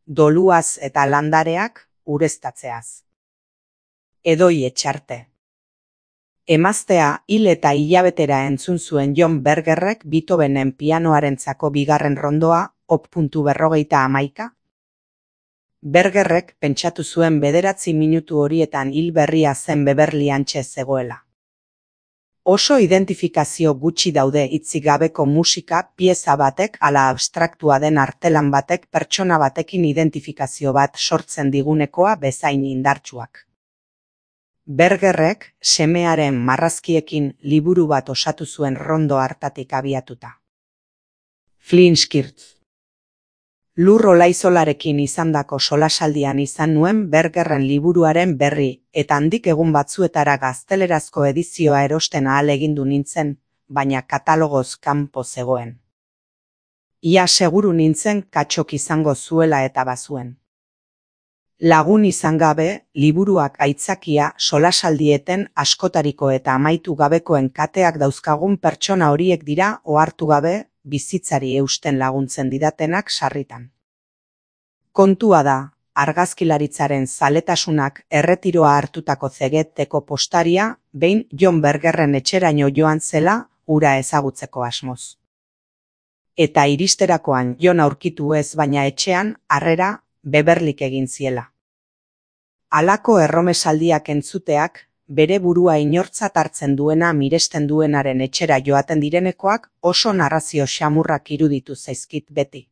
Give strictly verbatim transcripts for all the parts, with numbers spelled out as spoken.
doluaz eta landareak ureztatzeaz. Edoi etxarte. Emaztea hil eta hilabetera entzun zuen John Bergerrek Beethovenen pianoarentzako bigarren rondoa op puntu berrogeita hamaika. Bergerrek pentsatu zuen bederatzi minutu horietan hil berria zen Beverly hantxe zegoela. Oso identifikazio gutxi daude hitzik gabeko musika pieza batek ala abstraktua den artelan batek pertsona batekin identifikazio bat sortzen digunekoa bezain indartsuak. Bergerrek semearen marrazkiekin liburu bat osatu zuen rondo hartatik abiatuta. Flinskirt. Lur Olaizolarekin izandako solasaldian izan nuen Bergerren liburuaren berri, eta handik egun batzuetara gaztelerazko edizioa erosten ahalegindu nintzen, baina katalogoz kanpo zegoen. Ia seguru nintzen katxok izango zuela eta bazuen. Lagun izan gabe, liburuak aitzakia solasaldieten askotariko eta amaitu gabekoen kateak dauzkagun pertsona horiek dira ohartu gabe bizitzari eusten laguntzen didatenak sarritan. Kontua da, argazkilaritzaren zaletasunak erretiroa hartutako zegeteko postaria behin John Bergerren etxeraino joan zela hura ezagutzeko asmoz. Eta iristerakoan John aurkitu ez baina etxean harrera Beverlyk egin ziela. Halako erromesaldiak entzuteak, bere burua inortzat hartzen duena miresten duenaren etxera joaten direnekoak oso narrazio xamurrak iruditu zaizkit beti.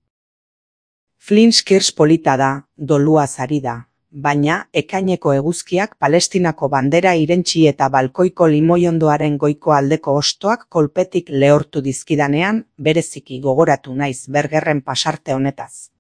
Flinskirs polita da, doluaz ari da, baina ekaineko eguzkiak Palestinako bandera irentsi eta balkoiko limoiondoaren goiko aldeko hostoak kolpetik lehortu dizkidanean bereziki gogoratu naiz Bergerren pasarte honetaz.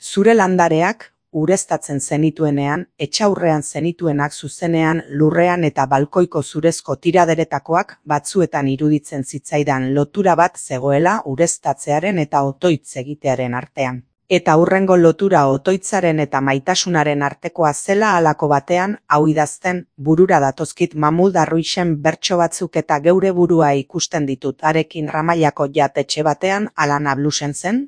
Zure landareak ureztatzen zenituenean, etxaurrean zenituenak zuzenean lurrean eta balkoiko zurezko tiraderetakoak batzuetan iruditzen zitzaidan lotura bat zegoela ureztatzearen eta otoitz egitearen artean. Eta hurrengo lotura otoitzaren eta maitasunaren artekoa zela halako batean, hau idazten, burura datozkit Mahmoud Darwixen bertso batzuk eta geure burua ikusten ditut harekin Ramallako jatetxe batean Alana Blusen zen?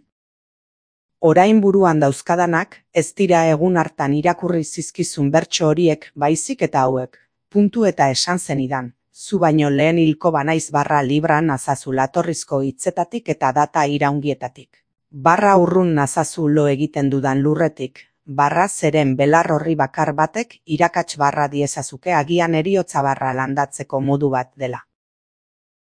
Orain buruan dauzkadanak, ez dira egun hartan irakurri zizkizun bertso horiek baizik eta hauek, puntu eta esan zenidan, zu baino lehen hilko banaiz barra libran nazazu latorrizko hitzetatik eta data iraungietatik. Barra urrun nazazu lo egiten dudan lurretik, barra zeren belar horri bakar batek irakats barra diezazuke agian heriotza barra landatzeko modu bat dela.